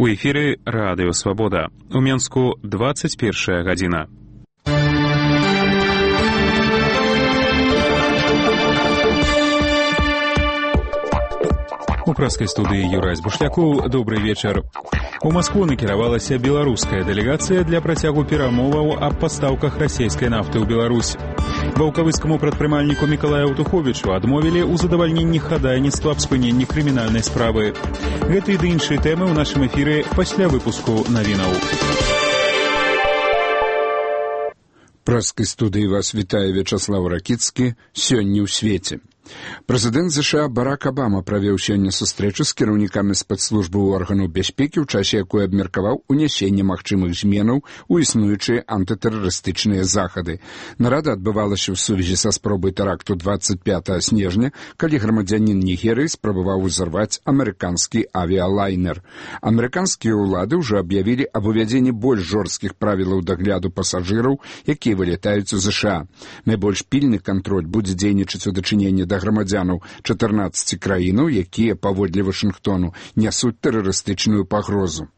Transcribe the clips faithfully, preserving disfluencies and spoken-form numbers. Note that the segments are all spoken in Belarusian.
У эфіры Радыё Свабода. У Менску двадцать першая гадзіна. У праскай студыі Юрай Збушлякоў. Добры вечар. У Маскву накіравалася беларуская дэлегацыя для працягу перамоваў аб пастаўках расійскай нафты ў Беларусь. Ваўкавыцкаму прадпрымальніку Мікалаю Аўтуховічу адмовілі ў задавальненні хадайніцтва аб спыненні крымінальнай справы. Гэты ды іншыя тэмы ў нашым эфіры пасля выпуску навінаў. Праскай студыі вас вітае Вячаслав Ракіцкі. Сёння ў свеце. Прэзідэнт ЗША Барак Абама правёў сёння сустрэчу з кіраўнікамі спецслужбы органаў бяспекі, у часе якой абмеркаваў унясенне магчымых зменаў у існуючыя антытэрарыстычныя захады. Нарада адбывалася ў сувязі са спробай тэракту двадцать пятага снежня, калі грамадзянін Нігерыі спрабаваў узарваць амерыканскі авіялайнер. Амерыканскія ўлады ўжо аб'явілі аб увядзенні больш жорсткіх правілаў дагляду пасажыраў, якія вылятаюць у ЗША. Найбольш пільны кантроль будзе дзейнічаць у дачыненні да грамадзянаў чатырнаццаці краінаў, якія, паводле Вашынгтону, нясуць тэрарыстычную пагрозу.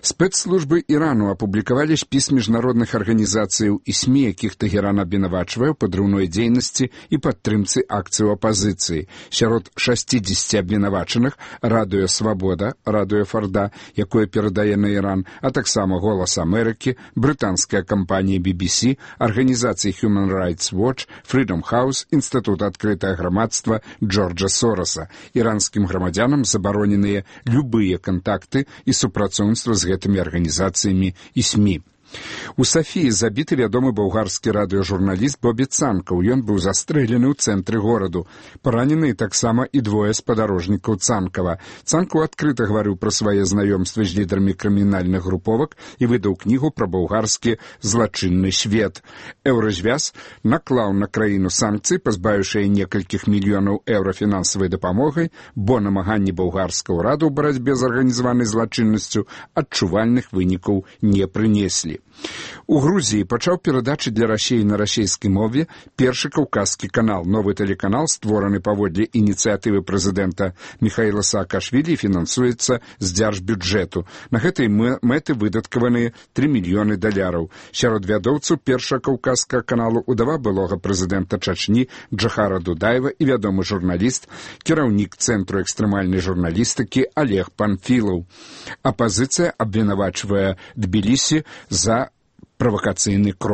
Спецслужбы Ірану апублікавалі спіс міжнародных арганізацыяў і СМІ, якіх Тэгеран абвінавачвае ў падрыўной дзейнасці і падтрымцы акцыяў апазіцыі. Сярод шасцідзесяці абвінавачаных Радыё Свабода, Радыё Фарда, якое перадае на Іран, а таксама Голас Амерыкі, брытанская кампанія би би сі, арганізацыі Human Rights Watch, Freedom House, Інстытут адкрытае грамадства Джорджа Сороса. Іранскім грамадзянам забароненыя любыя кантакты і супрацоўніцтва з гэтымі арганізацыямі і СМІ. У Сафіі забіты вядомы балгарскі радыёжурналіст Бобі Цанкаў. Ён быў застрэлены ў цэнтры гораду. Параненыя таксама і двое спадарожнікаў Цанкава. Цанкаў адкрыта гаварыў пра свае знаёмствы з лідарамі крымінальных груповак і выдаў кнігу пра балгарскі злачынны свет. Еўразвяз наклаў на краіну санкцыі, пазбавіўшы яе некалькіх мільёнаў еўра фінансавай дапамогай, бо намаганні балгарскага ўраду ў барацьбе з арганізаванай злачыннасцю адчувальных вынікаў не прынеслі. У Грузіі пачаў перадачы для Расіі на расійскай мове першы каўказскі канал. Новы тэлеканал, створаны паводле ініцыятывы прэзідэнта Міхаіла Саакашвілі, фінансуецца з дзяржбюджэту. На гэтай мэты выдаткаваныя тры мільёны даляраў. Сярод вядоўцаў першага каўказскага каналу удава былога прэзідэнта Чачні Джахара Дудаева і вядомы журналіст, кіраўнік Цэнтру экстрэмальнай журналістыкі Олег Панфілаў. Апазіцыя абвінавачвае Тбілісі за правакацыйны крок.